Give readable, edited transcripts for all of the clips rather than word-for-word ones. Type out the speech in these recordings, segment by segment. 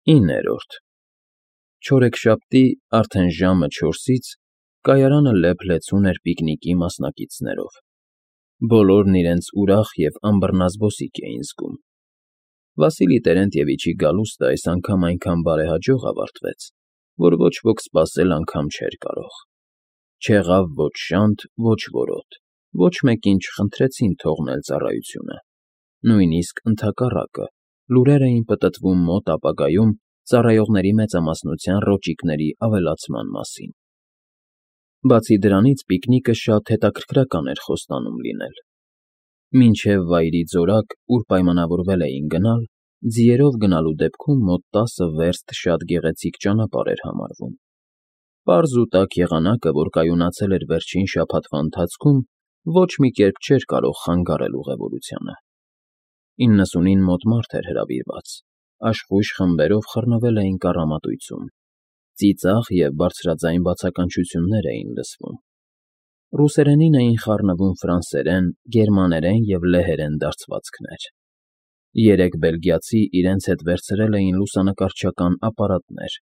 9-րդ Չորեքշաբթի արդեն ժամը 4-ից կայարանը լեփ-լեցուն էր պիկնիկի մասնակիցներով. բոլորն իրենց ուրախ և անբռնազբոսիկ էին զգում։ Վասիլի Տերենտիևիչի գալուստը այս անգամ այնքան բարեհաջող ավարտվեց, որ ոչ ոք սպասել անգամ չէր կարող։ Չեղավ ոչ շանթ, ոչ որոտ, ոչ մեկին չխնդրեցին թողնել ծառայությունը։ Նույնիսկ ընդհակառակը, լուրեր էին պտտվում մոտ ապագայում ծառայողների մեծամասնության ռոճիկների ավելացման մասին։ Բացի դրանից պիկնիկը շատ հետաքրքրական էր խոստանում լինել։ Մինչև Վայրի ձորակ, ուր պայմանավորվել էին գնալ, ձիերով գնալու դեպքում մոտ 10 վերստ շատ գեղեցիկ ճանապարհ էր համարվում։ Պարզ ու տաք եղանակը, որ կայունացել էր վերջին շաբաթվա ընթացքում, ոչ մի կերպ չէր կարող խանգարել ուղևորությանը։ 99 մոտ մարդ էր հրավիրված, աշխույժ խմբերով խռնվել էին կառամատույցում, ծիծաղ և բարձրաձայն բացականչություններ էին լսվում։ Ռուսերենին էին խառնվում ֆրանսերեն, գերմաներեն և լեհերեն դարձվածքներ։ 3 բելգիացի իրենց հետ վերցրել էին լուսանկարչական ապարատներ,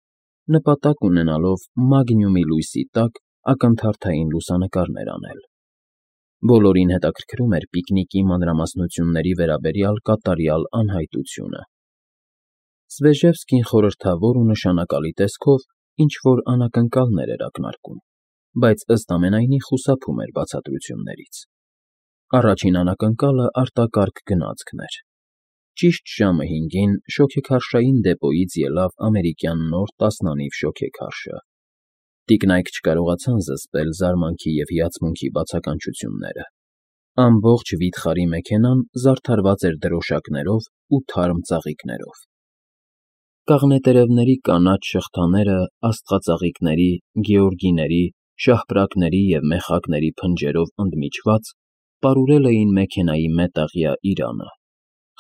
նպատակ ունենալով մագնիումի լույսի տակ ակնթարթային լուսանկարներ անել։ Բոլորին հետաքրքրում էր պիկնիկի մանրամասնությունների վերաբերյալ կատարյալ անհայտությունը։ Սվեժևսկին խորհրդավոր ու նշանակալի տեսքով ինչ-որ անակնկալներ էր ակնարկում, բայց ըստ ամենայնի խուսափում էր բացատրություններից։ Առաջին անակնկալը արտակարգ գնացքն էր։ Ճիշտ ժամը 5-ին շոգեքարշային դեպոյից ելավ ամերիկյան նոր տասնանիվ շոգեքարշը։ Տիկնայք չկարողացան զսպել զարմանքի և հիացմունքի բացականչությունները։ Ամբողջ վիթխարի մեքենան զարդարված էր դրոշակներով ու թարմ ծաղիկներով։ Կաղնետերևների կանաչ շղթաները աստղածաղիկների, գեորգիների, շահպրակների և մեխակների փնջերով ընդմիջված պարուրել էին մեքենայի մետաղյա իրանը,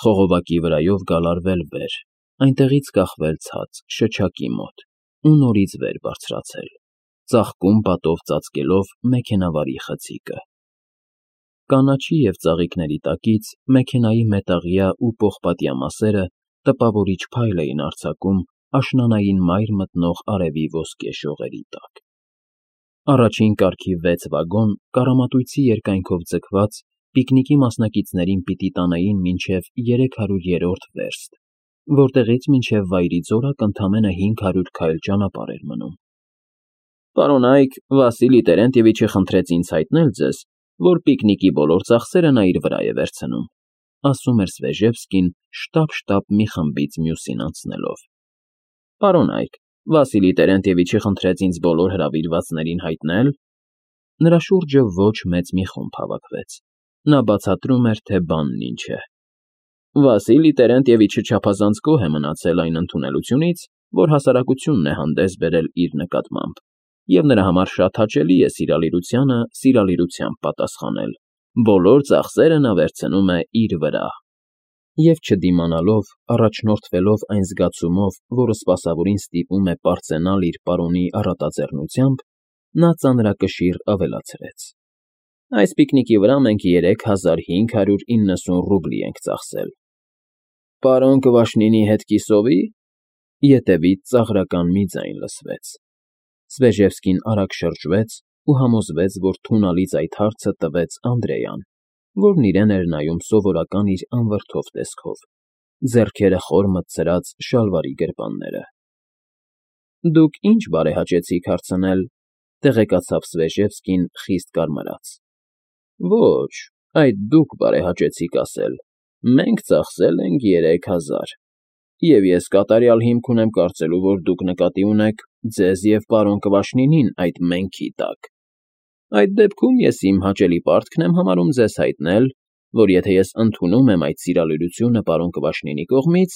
խողովակի վրայով գալարվել վեր, այնտեղից կախվել ցած, շչակի մոտ ու նորից վեր բարձրացել, ծաղկում պատով ծածկելով մեքենավարի խցիկը։ Կանաչի և ծաղիկների տակից մեքենայի մետաղյա ու պողպատյա մասերը տպավորիչ փայլ էին արձակում աշնանային մայր մտնող արևի ոսկե շողերի տակ։ Առաջին կարգի 6 վագոն կառամատույցի երկայնքով ձգված պիկնիկի մասնակիցներին պիտի տանեին մինչև 300-րդ վերստ, որտեղից մինչև Վայրի ձորակ ընդամենը 500 քայլ ճանապարհ էր մնում։ Պարոնայք, Վասիլի Տերենտիևիչը խնդրեց ինձ հայտնել ձեզ, որ պիկնիկի բոլոր ծախսերը նա իր վրա է վերցնում, ասում էր Սվեժևսկին շտապ-շտապ մի խմբից մյուսին անցնելով։ Պարոնայք, Վասիլի Տերենտիևիչը խնդրեց ինձ բոլոր հրավիրվածներին հայտնել… Նրա շուրջը ոչ մեծ մի խումբ հավաքվեց։ Նա բացատրում էր, թե բանն ինչ է։ Վասիլի Տերենտիևիչը չափազանց գոհ է մնացել այն ընդունելությունից, որ հասարակությունն է հանդես բերել իր նկատմամբ, և նրա համար շատ հաճելի է սիրալիրությանը սիրալիրությամբ պատասխանել. բոլոր ծախսերը նա վերցնում է իր վրա։ Եվ չդիմանալով, առաջնորդվելով այն զգացումով, որը սպասավորին ստիպում է պարծենալ իր պարոնի առատաձեռնությամբ, նա ծանրակշիռ ավելացրեց. Այս պիկնիկի վրա մենք 3590 ռուբլի ենք ծախսել։ Պարոն Կվաշնինի հետ կիսովի՞… Ետևից ծաղրական մի ձայն լսվեց։ Սվեժևսկին արագ շրջվեց ու համոզվեց, որ թունալից այդ հարցը տվեց Անդրեան, որն իրեն էր նայում սովորական իր անվրդով տեսքով, ձեռքերը խոր մտցրած շալվարի գրպանները։ Դուք ի՞նչ բարեհաճեցիք հարցնել,֊ տեղեկացավ Սվեժևսկին խիստ կարմրած։ Ոչ, այդ դուք բարեհաճեցիք ասել, մենք ծախսել ենք 3000, և ես կատարյալ հիմք ունեմ կարծելու, որ դուք նկատի ունեք ձեզ և պարոն Կվաշնինին այդ «մենք»֊ի տակ։ Այդ դեպքում ես իմ հաճելի պարտքն եմ համարում ձեզ հայտնել, որ եթե ես ընդունում եմ այդ սիրալիրությունը պարոն Կվաշնինի կողմից,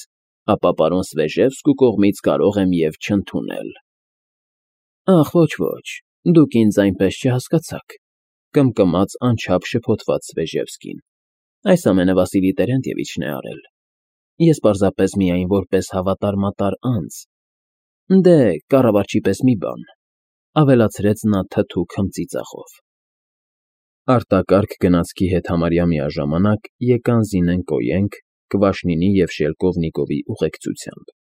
ապա պարոն Սվեժևսկու կողմից կարող եմ և չընդունել։ Ախ, ոչ, դուք ինձ այնպես չհասկացաք,֊ կմկմաց անչափ շփոթված Սվեժևսկին։ Այս ամենը Վասիլի Տերենտիևիչն է արել։ Ես պարզապես միայն որպես հավատար-մատար անձ… Դե, կառավարչի պես մի բան,֊ ավելացրեց նա թթու քմծիծաղով։ Արտակարգ գնացքի հետ համարյա միաժամանակ եկան Զինենկոյենք, Կվաշնինի և Շելկովնիկովի ուղեկցությամբ։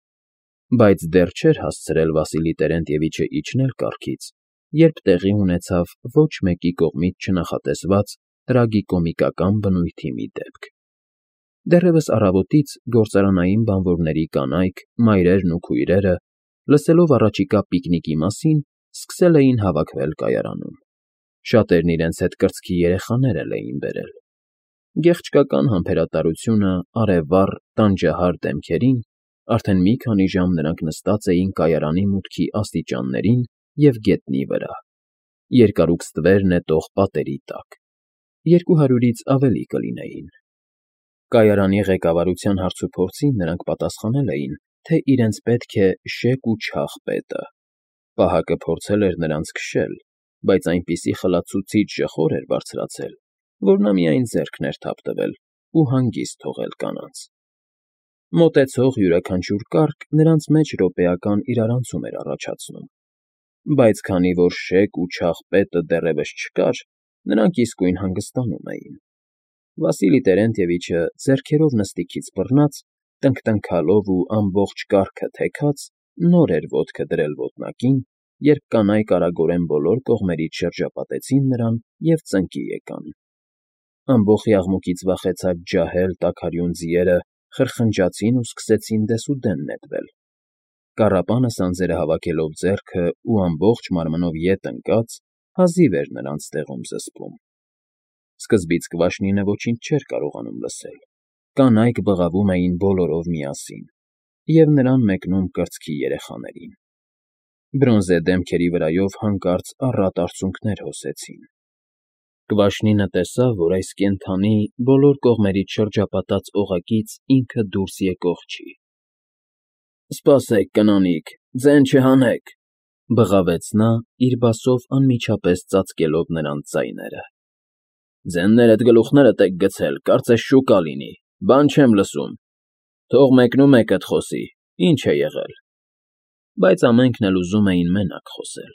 Բայց դեռ չէր հասցրել Վասիլի Տերենտևիչը իջնել կառքից, երբ տեղի ունեցավ ոչ մեկի կողմից չնախատեսված տրագիկոմիկական բնույթի մի դեպք։ Դեռևս առավոտից գործարանային բանվորների կանայք, մայրերն ու քույրերը, լսելով առաջիկա պիկնիկի մասին, սկսել էին հավաքվել կայարանում։ Շատերն իրենց հետ կրծքի երեխաներ էլ էին բերել։ Գեղչկական համբերատարությունը արևառ, տանջահար դեմքերին, արդեն մի քանի ժամ նրանք նստած էին կայարանի մուտքի աստիճաններին և գետնի վրա, երկարուկ ստվեր նետող պատերի տակ, 200-ից ավելի կլինեին։ Կայարանի ղեկավարության հարցուփորձին նրանք պատասխանել էին, թե իրենց պետք է շեկ ու չաղ պետը։ Պահակը փորձել էր նրանց քշել, բայց այնպիսի խլացուցիչ ժխոր էր բարձրացել, որ նա միայն ձեռքն էր թափ տվել ու հանգիստ թողել կանանց։ Մոտեցող յուրաքանչյուր կառք նրանց մեջ րոպեական իրարանցում էր առաջացնում, բայց քանի որ շեկ ու չաղ պետը դեռևս չկար, նրանք իսկույն հանգստանում էին։ Վասիլի Տերենտևիչը ձեռքերով նստիքից բռնած, տնկտնքալով ու ամբողջ կառքը թեքած, նոր էր ոտքը դրել ոտնակին, երբ կանայք արագորեն բոլոր կողմերից շրջապատեցին նրան և ծնկի եկան։ Ամբոխի աղմուկից վախեցած ջահել տաքարյուն ձիերը խրխնջացին ու սկսեցին դեսուդեն նետվել։ Կառապանը սանձերը հավաքելով ձեռքը ու ամբողջ մարմնով ետ ընկած, հազիվ էր նրանց տեղում զսպում։ Սկզբից Կվաշնինը ոչինչ չէր կարողանում լսել։ Կանայք բղավում էին բոլորով միասին, և նրան մեկնում կրծքի երեխաներին։ Բրոնզե դեմքերի վրայով հանկարծ առատ արցունքներ հոսեցին։ Կվաշնինը տեսավ, որ այս կենդանի բոլոր կողմերից շրջապատած օղակից ինքը դուրս եկող չի։ «Սպասեք, կնանիք, ձեն չհանեք», ֊ բղավեց նա, իր բասով անմիջապես ծածկելով նրանց ձայները։ «Ձեններդ գլուխներդ եք գցել, կարծես շուկա լինի, բան չեմ լսում։ Թող մեկնումեկդ խոսի, ինչ է եղել»։ Բայց ամենքն էլ ուզում էին մենակ խոսել։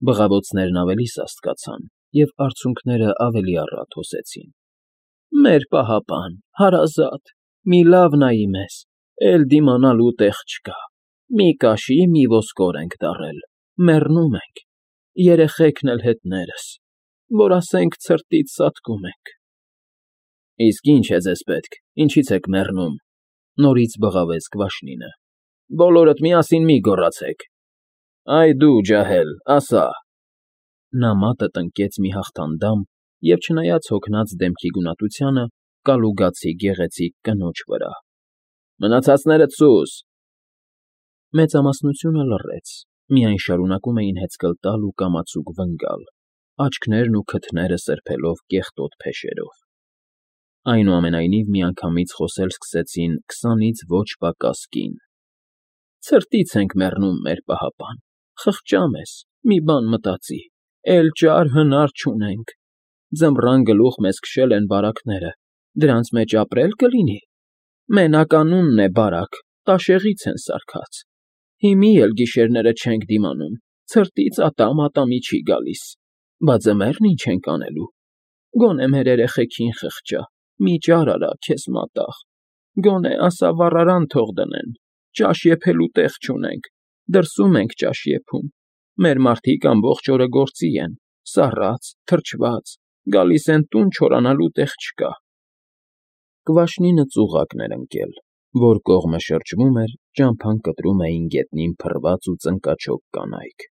Բղավոցներն ավելի սաստկացան, և արցունքները ավելի առատ հոսեցին։ «Մեր պահապան, հարազատ, մի լավ նայի մեզ, էլ դիմանալու տեղ չկա, մի կաշի, մի ոսկոր ենք դառել, մեռնում ենք, երեխեքն էլ հետներս, որ ասենք ցրտից սատկում ենք»։ «Իսկ ի՞նչ է ձեզ պետք, ինչի՞ց եք մեռնում», ֊ նորից բղավեց Կվաշնինը։ «Բոլորդ միասին մի գոռացեք։ Այ դու, ջահել, ասա»։ Նա մատը տնկեց մի հաղթանդամ և, չնայած հոգնած դեմքի գունատությանը, կալուգացի գեղեցիկ կնոջ վրա։ «Մնացածներդ սուս»։ Մեծամասնությունը լռեց, միայն շարունակում էին հեծկլ տալ ու կամացուկ վնգալ, աչքներն ու քթները սրբելով կեղտոտ փեշերով։ Այնուամենայնիվ միանգամից խոսել սկսեցին 20-ից ոչ պակաս կին։ «Ցրտից ենք մեռնում, մեր պահապան, խղճա մեզ, մի բան մտածի, էլ ճար հնար չունենք։ Ձմռան գլուխ մեզ քշել են բարակները, դրանց մեջ ապրել կլինի։ Մենականունն է բարակ, տաշեղից են սարքած։ Հիմի էլ գիշերները չենք դիմանում, ցրտից ատամ֊ատամի չի գալիս։ Բա ձմեռն ինչ ենք անելու։ Գոնե մեր երեխեքին խղճա, մի ճար արա քեզ մատաղ։ Գոնե ասա վառարան թող դնեն, ճաշ եփելու տեղ չունենք, դրսում ենք ճաշ եփում։ Մեր մարդիկ ամբողջ օրը գործի են, սառած, թրջված, գալիս են տուն չորանալու տեղ չկա։ Կվաշնինը ծուղակն էր ընկել, որ կողմը շրջվում էր, ճամփան կտրում էին գետնին փռված ու ծնկաչոք կանայք։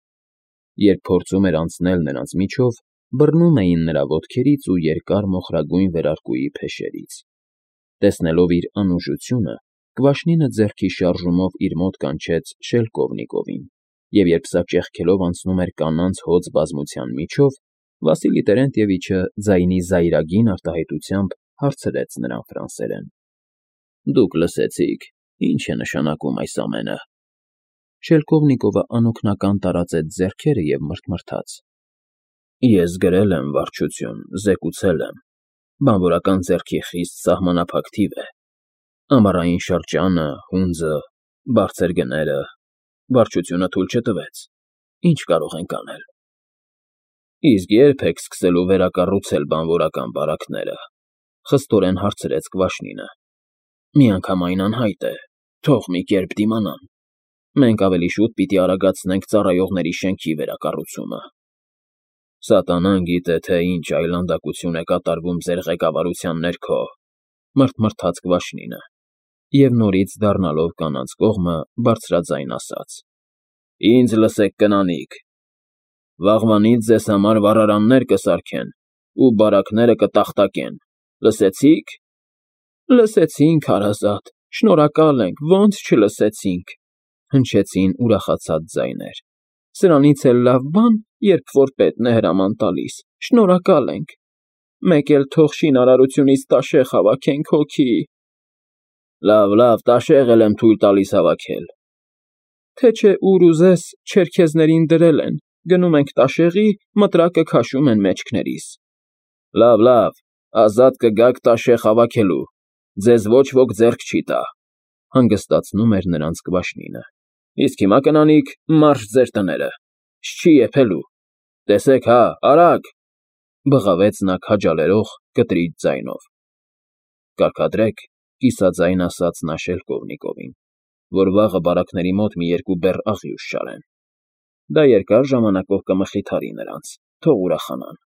Երբ փորձում էր անցնել նրանց միջով, բռնում էին նրա ոտքերից ու երկար մոխրագույն վերարկուի փեշերից։ Տեսնելով իր անուժությունը, Կվաշնինը ձեռքի շարժումով իր մոտ կանչեց Շելկովնիկովին, և երբ սա ճեղքելով անցնում էր կանանց հոծ բազմության միջով, Վասիլի Տերենտևիչը ձայնի զայրագին արտահայտությամբ հարցրեց նրան ֆրանսերեն. «Դուք լսեցի՞ք, ինչ է նշանակում այս ամենը»։ Շելկովնիկովը անօգնական տարածեց ձեռքերը և մռթմռթաց. «Ես գրել եմ, վարչություն, զեկուցել եմ. բանվորական ձեռքի խիստ սահմանափակ թիվ է։ Ամառային շրջանը, հունձը, բարձր գները, վարչությունը թույլ չտվեց։ Ինչ կարող ենք անել»։ «Իսկ ե՞րբ եք սկսելու վերակառուցել բանվորական բարակները», ֊ խստորեն հարցրեց Կվաշնինը։ «Միանգամայն անհայտ է, թող մի կերպ դիմանան»։ Մենք ավելի շուտ պիտի արագացնենք ծառայողների շենքի վերակառուցումը։ Սատանան գիտե, թե ինչ այլանդակություն է կատարվում ձեր ղեկավարության ներքո, մռթմռթաց Կվաշնինը, և նորից դառնալով կանանց կողմը բարձրաձայն ասաց. Ինձ լսեք, կնանիք, վաղվանից ձեզ համար վառարաններ կսարքեն ու բարակները կտախտակեն, լսեցի՞ք։ Լսեցինք, հարազատ, շնորհակալ ենք, ո՞նց չլսեցինք, հնչեցին ուրախացած ձայներ։ Սրանից էլ լավ բան, երբ որ պետն է հրաման տալիս, շնորհակալ ենք, մեկ էլ թող շինարարությունից տաշեղ հավաքենք հոգի։ Լավ, տաշեղ էլ եմ թույլ տալիս հավաքել։ Թե չէ ուր ուզես, չերքեզներին դրել են, գնում ենք տաշեղի, մտրակը քաշում են մեջքներիս։ Լավ, ազատ կգաք տաշեղ հավաքելու, ձեզ ոչ ոք ձեռք չի տա, հանգստացնում էր նրանց Կվաշնինը։ Իսկ հիմա, կնանիք, մարշ ձեր տները, չի եփելու, տեսեք հա, արագ, բղավեց նա քաջալերող կտրիչ ձայնով։ Կարգադրեք, կիսաձայն ասաց նա Շելկովնիկովին, որ վաղը բարակների մոտ մի երկու բեռ աղյուս շարեն։ Դա երկար ժամանակով կմխիթարի նրանց, թող ուրախանան։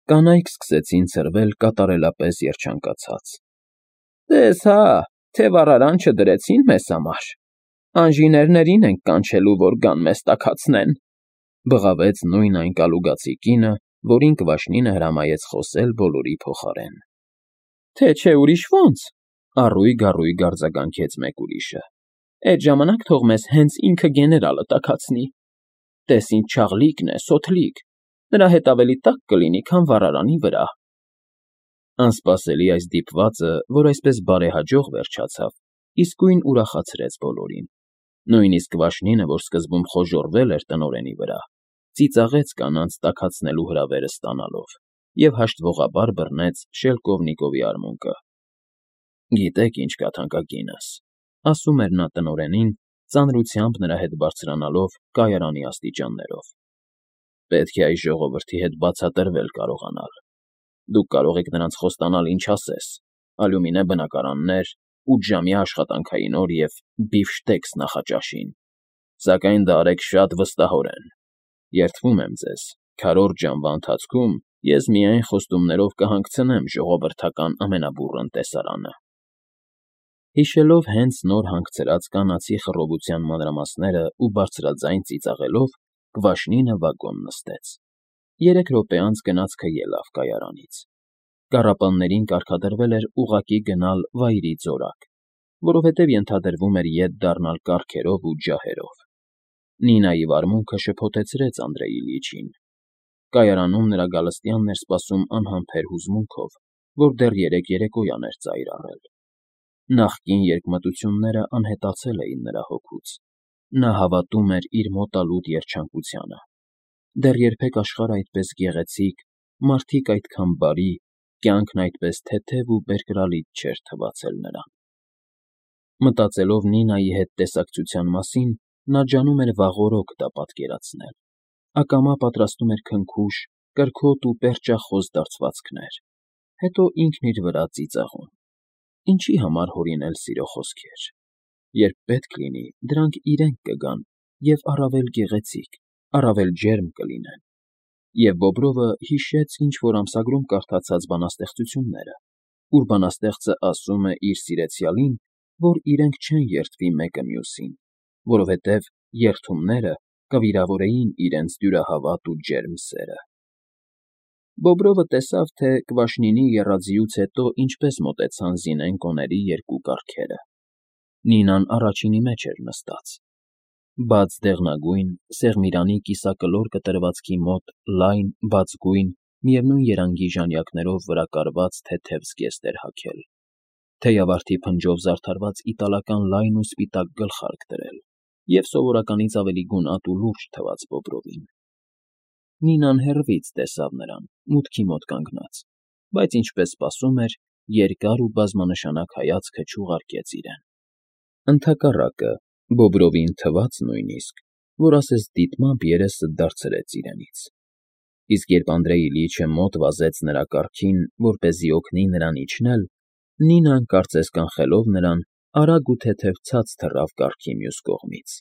Կանայք սկսեցին ցրվել կատարելապես երջանկացած։ Տես հա, թե վառարան չդրեցին մեզ համար, անժիներներին ենք կանչելու, որ գան մեզ տաքացնեն, բղավեց նույն այն կալուգացի կինը, որին Կվաշնինը հրամայեց խոսել բոլորի փոխարեն։ Թե չէ ուրիշ ո՞նց, առույգ արձագանքեց մեկ ուրիշը։ Այդ ժամանակ թող մեզ հենց ինքը գեներալը տաքացնի։ Տես ինչ չաղլիկն է, սոթլիկ, նրա հետ ավելի տաք կլինի, քան վառարանի վրա։ Անսպասելի այս դիպվածը, որ այսպես բարեհաջող վերջացավ, իսկույն ուրախացրեց բոլորին։ Նույնիսկ Կվաշնինը, որ սկզբում խոժոռվել էր տնօրենի վրա, ծիծաղեց կանանց տաքացնելու հրավերը ստանալով և հաշտվողաբար բռնեց Շելկովնիկովի արմունկը։ Գիտեք ինչ կա, թանկագինս, ասում էր նա տնօրենին, ծանրությամբ նրա հետ բարձրանալով կայարանի աստիճաններով։ Պետք է այս ժողովրդի հետ բացատրվել կարողանալ։ Դուք կարող եք նրանց խոստանալ ինչ ասես, ալյումինե բնակարաններ, 8-ժամյա աշխատանքային օր և բիֆշտեքս նախաճաշին, սակայն դա արեք շատ վստահորեն։ Երդվում եմ ձեզ, քառորդ ժամվա ընթացքում ես միայն խոստումներով կհանգցնեմ ժողովրդական ամենաբուռն տեսարանը։ Հիշելով հենց նոր հանգցրած կանացի խռովության մանրամասները ու բարձրաձայն ծիծաղելով, Կվաշնինը վագոն նստեց։ 3 րոպե անց գնացքը ելավ կայարանից։ Կառապաններին կարգադրվել էր ուղղակի գնալ Վայրի ձորակ, որովհետև ենթադրվում էր ետ դառնալ կառքերով ու ջահերով։ Նինայի վարմունքը շփոթեցրեց Անդրեյ Իլյիչին։ Կայարանում նրա գալստյանն էր սպասում անհամբեր հուզմունքով, որ դեռ երեկոյան էր ծայր առել։ Նախկին երկմտությունները անհետացել էին նրա հոգուց։ Նա հավատում էր իր մոտալուտ երջանկությանը։ Դեռ երբեք աշխարհը այդպես գեղեցիկ, մարդիկ այդքան բարի, կյանքն այդպես թեթև ու բերկրալից չէր թվացել նրան։ Մտածելով Նինայի հետ տեսակցության մասին, նա ջանում էր վաղօրոք դա պատկերացնել։ Ակամա պատրաստում էր քնքուշ, կրքոտ ու պերճախոս դարձվածքներ, հետո ինքն իր վրա ծիծաղում։ Ինչի համար հորինել սիրո խոսքեր։ Երբ պետք լինի, դրանք իրենք կգան և առավել գեղեցիկ, առավել ջերմ կլինեն։ Եվ Բոբրովը հիշեց ինչ-որ ամսագրում կարդացած բանաստեղծությունները, ուր բանաստեղծը ասում է իր սիրեցյալին, որ իրենք չեն երդվի մեկը մյուսին, որովհետև երդումները կվիրավորեին իրենց դյուրահավատ ու ջերմ սերը։ Բոբրովը տեսավ, թե Կվաշնինի եռաձիուց հետո ինչպես մոտեցան Զինենկոների երկու կառքերը։ Նինան առաջինի մեջ էր նստած։ Բաց դեղնագույն, սեղմիրանի կիսակլոր կտրվածքի մոտ լայն, բացգույն, միևնույն երանգի ժանյակներով վրա կարված թեթև զգեստ էր հագել, թեյավարդի փնջով զարդարված իտալական լայն ու սպիտակ գլխարկ դրել և սովորականից ավելի գունատ ու լուրջ թվաց Բոբրովին։ Նինան հեռվից տեսավ նրան, մուտքի մոտ կանգնած, բայց ինչպես սպասում էր, երկար ու բազմանշանակ հայացքը չուղարկեց իրեն։ Ընդհակառակը, Բոբրովին թվաց նույնիսկ, որ ասես դիտմամբ երեսը դարձրեց իրենից։ Իսկ երբ Անդրեյ Իլյիչը մոտ վազեց նրա կառքին, որպեսզի օգնի նրան իջնել, Նինան, կարծես կանխելով նրան, արագ ու թեթև ցած թռավ կառքի մյուս կողմից։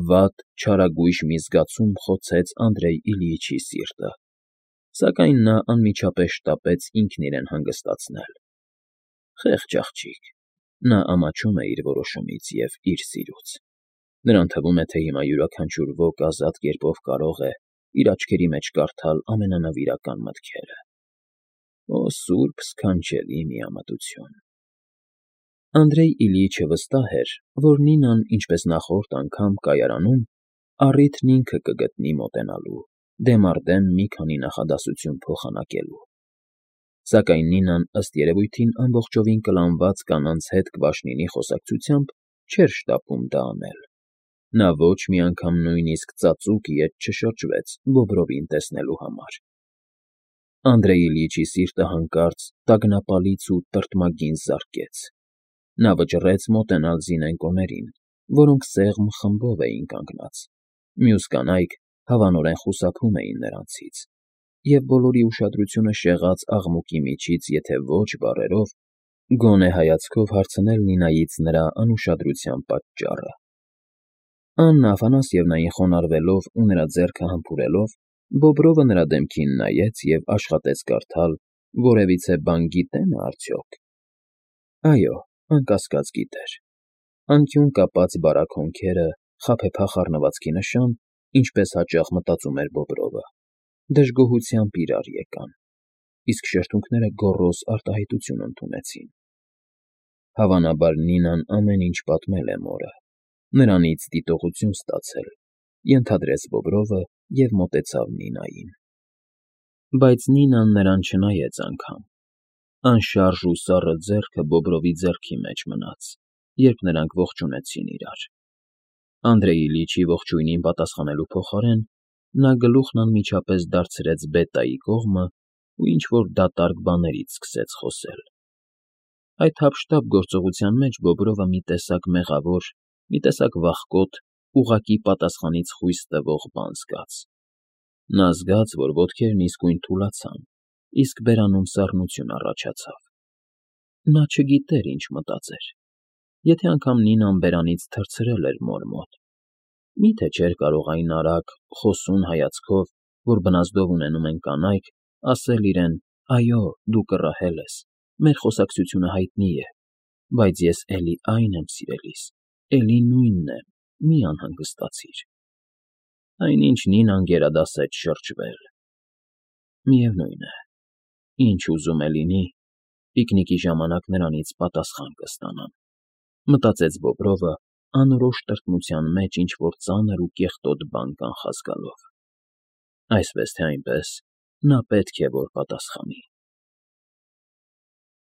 Վատ, չարագույժ մի զգացում խոցեց Անդրեյ Իլյիչի սիրտը, սակայն նա անմիջապես շտապեց ինքն իրեն հանգստացնել։ Խեղճ աղջիկ, նա ամաչում է իր որոշումից և իր սիրուց։ Նրան թվում է, թե հիմա յուրաքանչյուր ոք ազատ կերպով կարող է իր աչքերի մեջ կարդալ ամենանվիրական մտքերը։ Օ սուրբ սքանչելի միամտություն… Անդրեյ Իլյիչը վստահ էր, որ Նինան, ինչպես նախորդ անգամ կայարանում, առիթն ինքը կգտնի մոտենալու, դեմ առ դեմ մի քանի նախադասություն փոխանակելու։ Սակայն Նինան, ըստ երևույթին, ամբողջովին կլանված կանանց հետ կվաշնինի խոսակցությամբ չէր շտապում դա անել։ Նա ոչ մի անգամ նույնիսկ ծածուկ ետ չշրջվեց Բոբրովին տեսնելու համար։ Անդրեյ Իլյիչի սիրտը հանկարծ տագնապալից ու տրտմագին զարկեց։ Նա վճռեց մոտենալ զինենկոներին, որոնք սեղմ խմբով էին կանգնած։ Մյուս կանայք հավանորեն խուսափում էին նրանցից, և բոլորի ուշադրությունը շեղած աղմուկի միջից եթե ոչ բառերով, գոնե հայացքով հարցնել Նինայից նրա անուշադրության պատճառը։ Աննա Աֆանասьևնային խոնարհվելով ու նրա ձեռքը համբուրելով, Բոբրովը նրա դեմքին նայեց և աշխատեց կարդալ որևիցե բան գիտե՞ն է արդյոք։ Այո, անկասկած գիտեր։ Անկյուն կապած բարակ հոնքերը, խաբեբախ առնվածքի նշան, ինչպես հաճախ մտածում էր Բոբրովը, դժգոհությամբ իրար եկան, իսկ շրթունքները գոռոզ արտահայտություն ընդունեցին։ Հավանաբար Նինան ամեն ինչ պատմել է մորը, նրանից դիտողություն ստացել, ենթադրեց Բոբրովը և մոտեցավ Նինային։ Բայց Նինան նրան չնայեց անգամ։ Անշարժ ու սառը ձեռքը Բոբրովի ձեռքի մեջ մնաց, երբ նրանք ողջունեցին իրար։ Անդրեյ Իլյիչի ողջույնին պատասխանելու փոխարեն նա գլուխն անմիջապես դարձրեց Բետայի կողմը ու ինչ֊որ դատարկ բաներից սկսեց խոսել։ Այդ հափշտապ գործողության մեջ Բոբրովը մի տեսակ մեղավոր, մի տեսակ վախկոտ, ուղղակի պատասխանից խույս տվող բան զգաց։ Նա զգաց, որ ոտքերն իսկույն թուլացան, իսկ բերանում սառնություն առաջացավ։ Նա չգիտեր ինչ մտածեր։ Եթե անգամ Նինան բերանից թռցրել էր մոր մոտ, մի՞թե չէր կարող այն արագ, խոսուն հայացքով, որ բնազդով ունենում են կանայք, ասել իրեն. «Այո, դու կռահել ես, մեր խոսակցությունը հայտնի է, բայց ես էլի այն եմ սիրելիս, էլի նույնն է, մի անհանգստացիր»։ Այնինչ Նինան գերադասեց շրջվել։ Միևնույն է, ինչ ուզում է լինի, պիկնիկի ժամանակ նրանից պատասխան կստանամ, մտածեց Բոբրովը, անորոշ տրտմության մեջ ինչ֊որ ծանր ու կեղտոտ բան կանխազգալով։ Այսպես թե այնպես, նա պետք է որ պատասխանի։